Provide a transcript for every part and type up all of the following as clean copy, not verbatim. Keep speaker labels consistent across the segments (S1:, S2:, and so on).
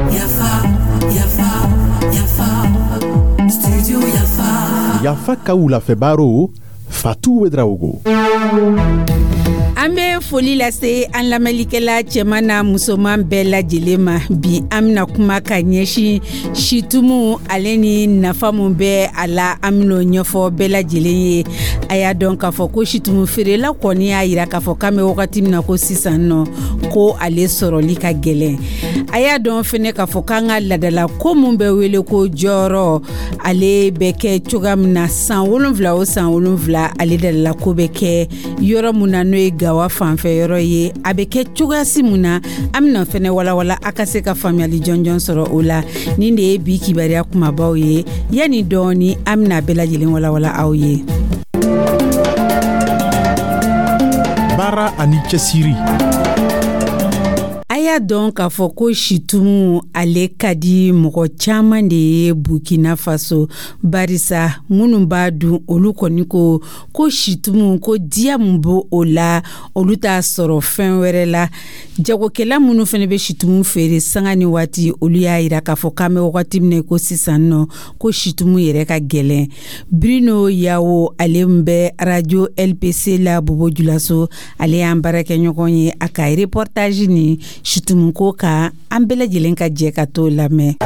S1: Yafa, Yafa, Yafa, Studio Yafa.
S2: Yafa ka wulafɛ baro, Fatu Ouédraogo.
S3: An bɛ foli lase an lamɛnlikɛla cɛman n'a musoman bɛɛ lajɛlen ma. Bi, an bɛna kuma ka ɲɛsin situmu ale ni nafa mun bɛ a la. An bɛn'o ɲɛfɔ bɛɛ lajɛlen ye. A y'a dɔn k'a fɔ ko situmu feerela kɔni y'a yira k'a fɔ k'an bɛ wagati min na ko sisan nɔ, ko ale sɔrɔli ka gɛlɛn. A y'a dɔn fɛnɛ k'a fɔ k'an ka ladala ko mun bɛ wele ko jɔyɔrɔ, ale bɛ kɛ cogoya min na san 7 o san 7, ale dalala ko bɛ kɛ yɔrɔ mun na, n'o ye Gawa fanfɛ yɔrɔ ye, a bɛ kɛ cogoyasi mun na, an bɛna fɛnɛ walawala a ka se ka faamuyali jɔnjɔn sɔrɔ o la. Nin de ye bi kibaruya kumabaw ye. Yanni dɔɔni, an bɛna bɛɛ lajɛlen walawala aw ye.
S2: Baara ani cɛsiri.
S3: A y'a dɔn k'a fɔ ko situmu, ale ka di mɔgɔ caman de ye Burkina Faso, barisa minnu b'a dun, olu kɔni ko ko situmu ko diya mun b'o o la, olu t'a sɔrɔ fɛn wɛrɛ la. Jagokɛla minnu fana bɛ situmu feere sanga ni waati, olu y'a yira k'a fɔ k'an bɛ wagati min na ko sisan nɔ, ko situmu yɛrɛ ka gɛlɛn. Bruno Yawo, ale min bɛ Radio LPC la Bobo Julaso, ale y'an baarakɛɲɔgɔn ye. A ka reportage ni situmu ko kan, an bɛɛ lajɛlen ka jɛ ka t'o lamɛn.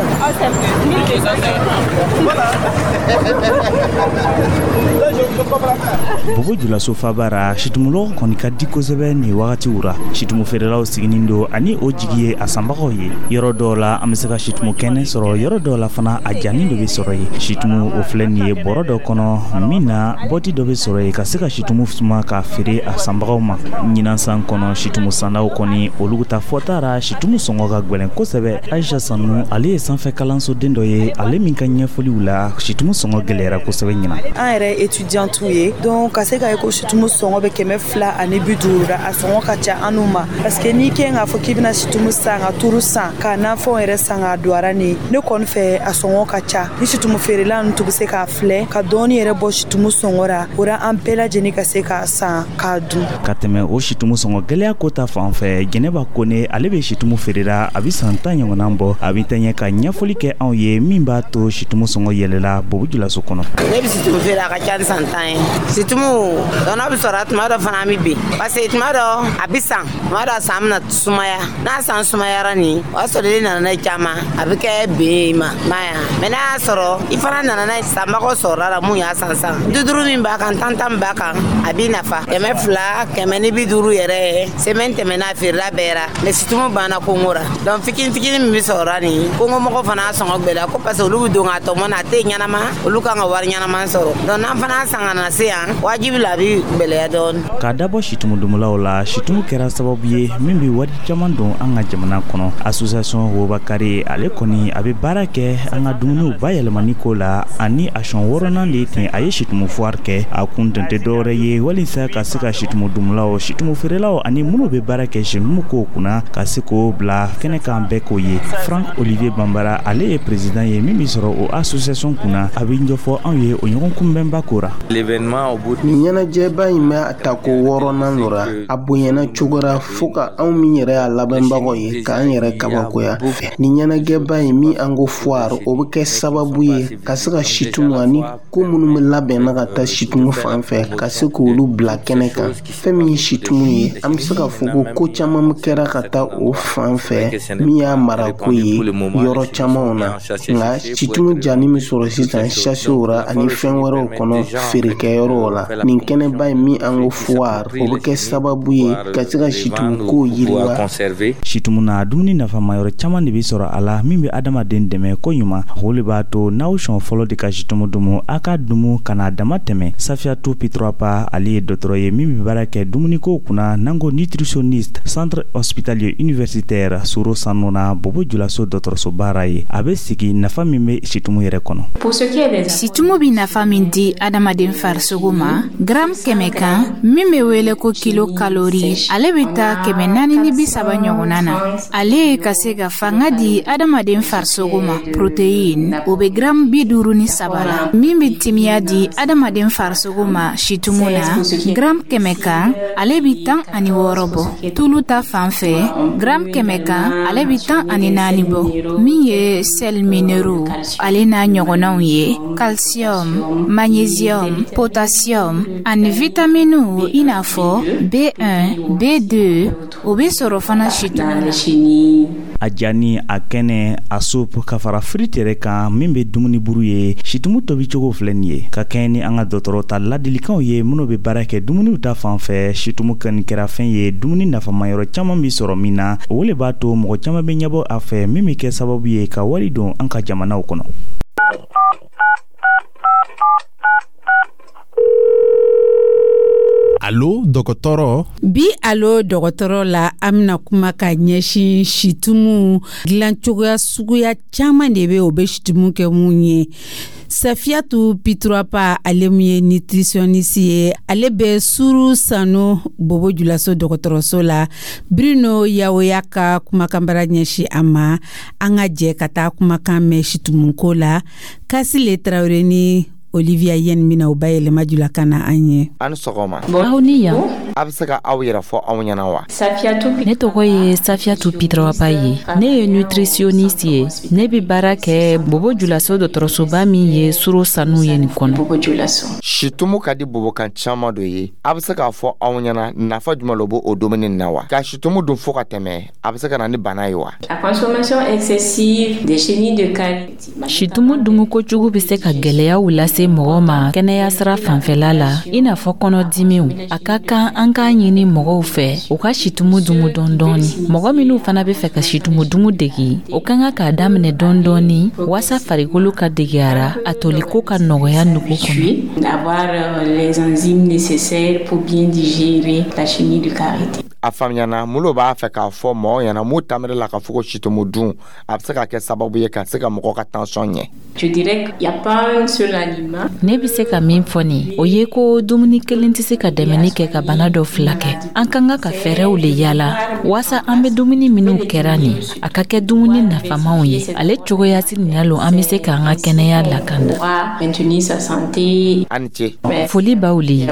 S4: Bobo Julaso faba ra, situmulɔgɔ kɔni ka di kosɛbɛ nin wagatiw ra. Situmu feerelaw siginin don ani o jigi ye a sanbagaw ye. Yɔrɔ dɔw la, an be se ka situmu kɛnɛ sɔrɔ, yɔrɔ dɔw la fana, a janin dɔ be sɔrɔ ye. Situmu o filɛ nin ye bɔrɔ dɔ kɔnɔ min na, bɔti dɔ be sɔrɔ ye ka se ka situmu suma k'a feere a sanbagaw ma. Ɲinan san kɔnɔ, situmu sannaw kɔni, olu ta fɔta ra, situmu sɔngɔ ka gwɛlɛn kosɛbɛ. Aisha Sanu, ale ye sanfɛ kalansoden dɔ ye, ale min ka ɲɛfɔliw la, situmu sɔngɔ gwɛlɛyara kosɛbɛ ɲinan.
S5: An yɛrɛ étudiantu ye, donc ka se ka ye ko situmu sɔngɔ bɛ 250 la, a sɔngɔ ka ca an n'u ma, parce que n'i kɛ k'a fɔ k'i bɛna situmu san ka turu san ka nafɛnw yɛrɛ san k'a don ara ni ne kɔni fɛ, a sɔngɔ ka ca. Ni situmu feerela ninnu tun bɛ se k'a filɛ ka dɔɔni yɛrɛ bɔ situmu sɔngɔ ra, o ra an bɛɛ lajɛlen ka se k'a san k'a dun.
S4: Ka tɛmɛ o situmu sɔngɔ gwɛlɛya ko ta fan fɛ, Jɛnɛba Kone, ale bɛ situmu feerela, a bɛ san 10 ɲɔgɔnna bɔ. A bɛ tɛɲɛ ka ɲɛfɔli kɛ anw ye min b'a to situmu sɔngɔ yɛlɛla Bobo Julaso kɔnɔ.
S6: Ne bɛ situmu feere, a ka ca ni san 10 ye. Situmu tɔnɔ bɛ sɔrɔ tuma dɔ fana, an bɛ bin, parce que tuma dɔ a bɛ san, tuma dɔ a san bɛna sumaya. N'a san sumayara nin, o y'a sɔrɔ i nana n'a ye caman, a bɛ kɛ ben ye i ma ma ya. Mɛ n'a y'a sɔrɔ i fana nana n'a ye, sanbagaw sɔrɔla la mun y'a san san 50 min b'a kan, 10 10 min b'a kan, a b'i nafa 200, 150 yɛrɛ ye. Semaine tɛmɛna, a feerela bɛɛ ra, mɛ situmu banna kongo ra. Donc fitini fitini min bɛ sɔrɔ nin, kongo mɔgɔ fana y'a sɔngɔ gwɛlɛya ko, parce que olu bɛ don k'a tɔmɔ na, a tɛ ɲɛnama, olu kan ka wari ɲɛnama sɔrɔ. Donc n'an fana san ka na se yan, wajibi la, a bɛ gwɛlɛya dɔɔni.
S4: K'a dabɔ situmu dumulaw la, situmu kɛra sababu ye min bɛ wari caman don an ka jamana kɔnɔ. Association Wobakari, ale kɔni a bɛ baara kɛ an ka dumuniw bayɛlɛmani ko la, ani a sɔn wɔɔrɔnan de ten a ye situmu foire kɛ. A kun tun tɛ dɔwɛrɛ ye walisa ka se ka situmu dumulaw, situmu feerelaw ani minnu bɛ baara kɛ situmu kow kunna, ka se k'o bila kɛnɛ kan, bɛɛ k'o ye. Frank Olivier Bambara, ale ye président ye min bɛ sɔrɔ o association kunna, a bɛ ɲɛfɔ anw ye o ɲɔgɔn kunbɛnba ko ra.
S7: Nin ɲɛnajɛba in bɛ a tako wɔɔrɔnan lo ra. A bonyana cogo ra fo ka anw min yɛrɛ y'a labɛnbagaw ye, k'an yɛrɛ kabakoya. Nin ɲɛnajɛba in min an ko foire, o bɛ kɛ sababu ye ka se ka situmu ani ko minnu bɛ labɛnna ka taa situmu fan fɛ, ka se k'olu bila kɛnɛ kan. Fɛn min ye situmu ye, an bɛ se k'a fɔ ko ko caman kɛra ka taa o fan fɛ min y'a marako ye yɔrɔ camanw na. Nka situmu jani min sɔrɔ sisan sachetw ra ani fɛn wɛrɛw kɔnɔ feerekɛyɔrɔw la, nin kɛnɛba in min an ko foire, o bɛ kɛ sababu ye ka se ka situmu kow yiriwa.
S4: Situmu na, dumuni nafama yɔrɔ caman de bɛ sɔrɔ a la min bɛ adamaden dɛmɛ ko ɲuman. O le b'a to n'aw sɔn fɔlɔ de ka situmu dumu, a ka dumu kana dama tɛmɛ. Safiatou Pitroipa, ale ye dɔgɔtɔrɔ ye min bɛ baara kɛ dumunikow kunna, n'an ko nutritionniste, Centre hospitalier. universitaire Soro Sanu na Bobo Julaso dɔgɔtɔrɔsoba ra ye. A bɛ sigi nafa min bɛ situmu yɛrɛ kɔnɔ.
S8: Situmu bɛ nafa min di adamaden farisogo ma, gram 100 kan, min bɛ wele ko kilo kalori, ale bɛ taa 430 ɲɔgɔnna na. Ale ye ka se ka fanga di adamaden farisogo ma. Protéine, o bɛ gram 53 la. Min bɛ timiya di adamaden farisogo ma situmu na, gram 100 kan, ale bɛ 16 bɔ. Tulu ta fan fɛ, gram 100 kan, ale bɛ 14 bɔ. Min ye sels minéraux ale n'a ɲɔgɔnnaw ye, calcium, magnésium, potassium ani vitaminiw i n'a fɔ B1, B2, o bɛ sɔrɔ fana situmu na.
S4: A jani, a kɛnɛ, a soupe, ka fara frite yɛrɛ kan min bɛ dumuni buru ye, situmu tobicogo filɛ nin ye. Ka kɛɲɛ ni an ka dɔgɔtɔrɔ ta ladilikanw ye minnu bɛ baara kɛ dumuniw ta fan fɛ, situmu kɔni kɛra fɛn ye dumuni nafama yɔrɔ caman bɛ sɔrɔ min na. O le b'a to mɔgɔ caman bɛ ɲɛbɔ a fɛ, min bɛ kɛ sababu ye ka wari don an ka jamanaw kɔnɔ.
S2: Alo dɔgɔtɔrɔ.
S3: Bi alo dɔgɔtɔrɔ la, an bɛna kuma ka ɲɛsin situmu dilancogoya suguya caman de bɛ, o bɛ situmu kɛ mun ye. Safiyatu Piturapa, ale min ye nutritionniste ye, ale bɛ Suru Sanu Bobo Julaso dɔgɔtɔrɔso la. Bruno Yawoya ka kumakanbara ɲɛsin a ma. An ka jɛ ka taa kumakan mɛn situmuko la. Kasile Tarawele ni Olivia Yen bɛna o bayɛlɛma julakan na an ye.
S9: Aw ni sɔgɔma.
S10: Aw ni yan.
S9: A bɛ se ka aw yɛrɛ fɔ anw ɲɛna wa?
S10: Ne tɔgɔ ye Safiatu Pitrawapa ye. Ne ye nutritionniste ye. Ne bɛ baara kɛ Bobo Julaso dɔgɔtɔrɔsoba min ye Soro Sanu ye nin kɔnɔ.
S9: Situmu ka di bobokan caman dɔ ye. A bɛ se k'a fɔ anw ɲɛna nafa jumɛn lo b'o dumuni na wa? Ka situmu dun fo ka tɛmɛ, a bɛ se ka na ni bana ye wa?
S11: La consommation excessive des chenilles de karité.
S10: Situmu dumu kojugu bɛ se ka gɛlɛyaw lase mɔgɔ ma kɛnɛya sira fanfɛla la, i n'a fɔ kɔnɔdimiw. A ka kan an k'a ɲini mɔgɔw fɛ u ka situmu dumu dɔɔni. Mɔgɔ minnu fana bɛ fɛ ka situmu dumu degi, o ka kan k'a daminɛ dɔɔni waasa farikolo ka degeyara, a toliko ka nɔgɔya nugu kɔnɔ.
S11: Avoir les enzymes nécessaires pour bien digérer la chenille de karité.
S9: A faamuyana mun b'a fɛ k'a fɔ mɔgɔw ɲɛna mun tamiri la ka fɔ ko situmu dun a bɛ se ka kɛ sababu ye ka se ka mɔgɔ ka tension ɲɛ.
S11: Je dirais qu'il y a pas un seul aliment.
S10: Ne bɛ se ka min fɔ nin, o ye ko dumuni kelen tɛ se ka dɛmɛni kɛ ka bana dɔ furakɛ. An ka kan ka fɛɛrɛw le yala waasa an bɛ dumuni minnu kɛra nin, a ka kɛ dumuni nafamaw ye. Ale cogoya si nin lo an bɛ se k'an ka kɛnɛya lakanda.
S11: Maintenir sa santé.
S9: A ni ce.
S10: Foli b'aw le ye.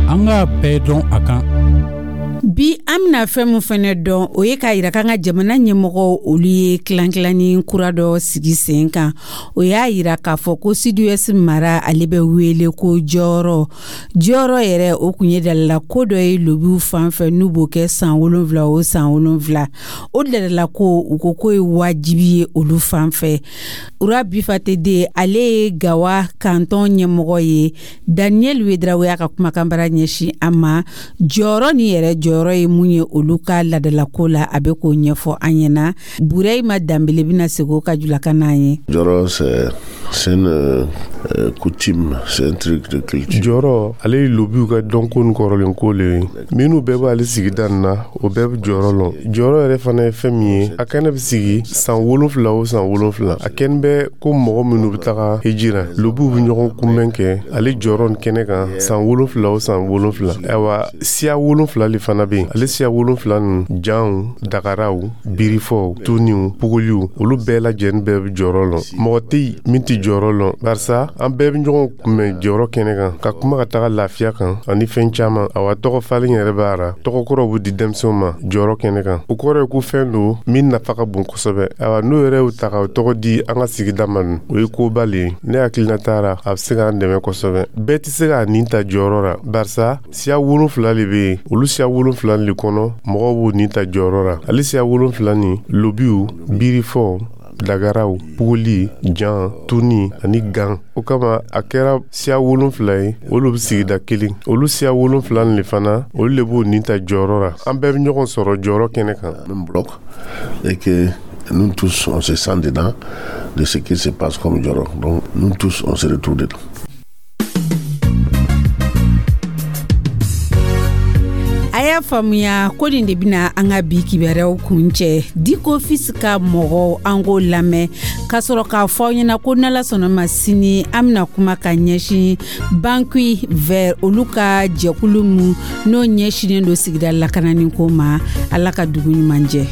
S12: An k'a bɛɛ dɔn a kan.
S3: Bi an bɛna fɛn min fɛnɛ dɔn, o ye k'a yira k'an ka jamana ɲɛmɔgɔw olu ye tilan-tilanni kura dɔ sigi sen kan. O y'a yira k'a fɔ ko Sud-Ouest mara, ale bɛ wele ko jɔyɔrɔ. Jɔyɔrɔ yɛrɛ, o kun ye dalala ko dɔ ye lobiw fan fɛ n'u b'o kɛ san 7 o san 7. O dalala ko, u ko k'o ye wajibi ye olu fan fɛ. Ura Bifatede, ale ye Gawa kantɔn ɲɛmɔgɔ ye. Daniel Wedrawe y'a ka kumakanbara ɲɛsin a ma. Jɔyɔrɔ ni yɛrɛ jɔyɔrɔ ye mun ye olu ka ladalako la, a bɛ k'o ɲɛfɔ an ɲɛna. Bureyima Danbele bɛna segin o ka julakan n'an ye.
S13: Jɔrɔ, c'est une coutume, c'est un truc de culture.
S14: Jɔrɔ, ale ye lobiw ka dɔnko ni kɔrɔlenko le ye. Minnu bɛɛ b'ale sigida nin na, o bɛɛ bɛ jɔyɔrɔ lɔn. Jɔyɔrɔ yɛrɛ fana ye fɛn min ye, a kɛnɛ bɛ sigi san 7 o san 7. A kɛnɛ bɛ ko mɔgɔ minnu bɛ taga hijira, lobiw bɛ ɲɔgɔn kunbɛn kɛ ale jɔyɔrɔ nin kɛnɛ kan san 7 o san 7. Ayiwa, siya 7 le fana bɛ yen. Ale siya 7 ninnu, janw, dagaraw, birifɔw, tuniw, pugoliw, olu bɛɛ lajɛlen bɛɛ bɛ jɔyɔrɔ lɔn. Mɔgɔ tɛ yen min tɛ jɔyɔrɔ lɔn, barisa an bɛɛ bɛ ɲɔgɔn kunbɛn jɔyɔrɔ kɛnɛ kan ka kuma ka taga lafiya kan ani fɛn caman. Awa, tɔgɔ falen yɛrɛ b'a ra, tɔgɔ kɔrɔw bɛ di denmisɛnw ma jɔyɔrɔ kɛnɛ kan. O kɔrɔ ye ko fɛn don min nafa ka bon kosɛbɛ. Awa, n'o yɛrɛ y'u ta ka o tɔgɔ di an ka sigida ma dun, o ye koba le ye. Ne hakilina taara, a bɛ se k'an dɛmɛ kosɛbɛ. Bɛɛ tɛ se k'a nin ta jɔyɔrɔ la, barisa siya 7 le bɛ yen. Olu siya 7 le kɔnɔ, mɔgɔw b'u nin ta jɔyɔrɔ la. Ale siya 7 nin, lobiw, birifɔw, dagaraw, pugoli, jan, tuni ani gan. O kama a kɛra siya 7 ye, olu bɛ sigida kelen. Olu siya 7 le fana, olu le b'u nin ta jɔyɔrɔ la. An bɛɛ bɛ ɲɔgɔn sɔrɔ jɔyɔrɔ kɛnɛ kan.
S13: Même bloc et que nous tous on se sent dedans de ce qui se passe comme jɔyɔrɔ. Donc nous tous on se retrouve dedans.
S3: Y'a faamuya ko nin de bɛna an ka bi kibaruyaw kun cɛ. Diko Fils ka mɔgɔw, an k'o lamɛn ka sɔrɔ k'a fɔ aw ɲɛna ko n'Ala sɔnna ma, sini an bɛna kuma ka ɲɛsin Banque Vert, olu ka jɛkulu mu n'o ɲɛsinnen don sigida lakanani ko ma. Ala ka dugu ɲuman jɛ.